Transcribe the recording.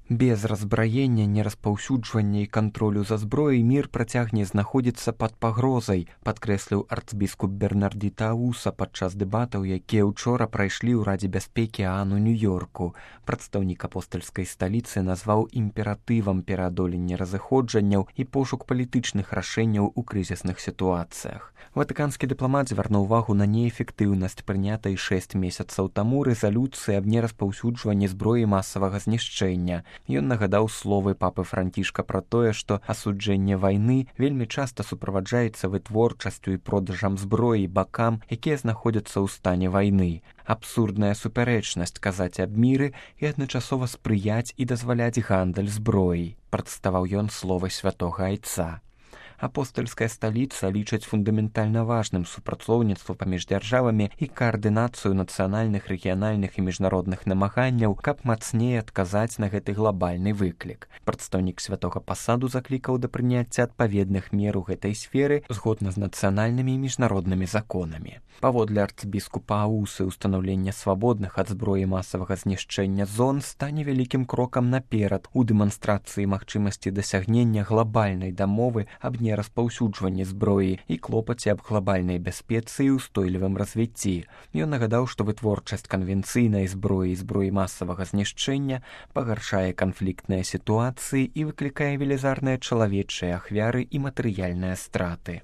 Без разбраення, нераспаўсюджвання і кантролю за зброяй мір працягне знаходзіцца пад пагрозай, падкрэсліў арцбіскуп Бернардзі Тауса падчас дэбатаў, якія ўчора прайшлі ў Радзе бяспекі ААН у Нью-Йорку. Прадстаўнік апостальскай сталіцы назваў імператывам пераадолення разыходжанняў і пошук палітычных рашэнняў у крызісных сітуацыях. Ватыканскі дыпламат звярнуў увагу на неэфектыўнасць прынятай 6 месяцаў таму рэзалюцыі аб нераспаўсюджванні зброі масавага знішчэння. Ён нагадаў словы папы Францішка пра тое, што асуджэнне вайны вельмі часта суправаджаецца вытворчасцю і продажам зброі бакам, якія знаходзяцца ў стане вайны. Абсурдная супярэчнасць казаць аб міры і адначасова спрыяць і дазваляць гандаль зброяй, прадставаў ён словы святога айца. Апостальская сталіца лічыць фундаментальна важным супрацоўніцтва паміж дзяржавамі і каардынацыю нацыянальных, рэгіянальных і міжнародных намаганняў, каб мацней адказаць на гэты глабальны выклік. Прадстаўнік святога пасаду заклікаў да прыняцця адпаведных мер у гэтай сферы згодна з нацыянальнымі і міжнароднымі законамі. Паводле арцбіскупа Аусы, устанаўленне свабодных ад зброі масавага знішчэння зон стане вялікім крокам наперад у дэманстрацыі магчымасці дасягнення глабальнай дамовы аб нераспаўсюджванні зброі і клопаце аб глабальнай бяспецы і ўстойлівым развіцці. Ён нагадаў, што вытворчасць канвенцыйнай зброі і зброі масавага знішчэння пагаршае канфліктныя сітуацыі і выклікае велізарныя чалавечыя ахвяры і матэрыяльныя страты.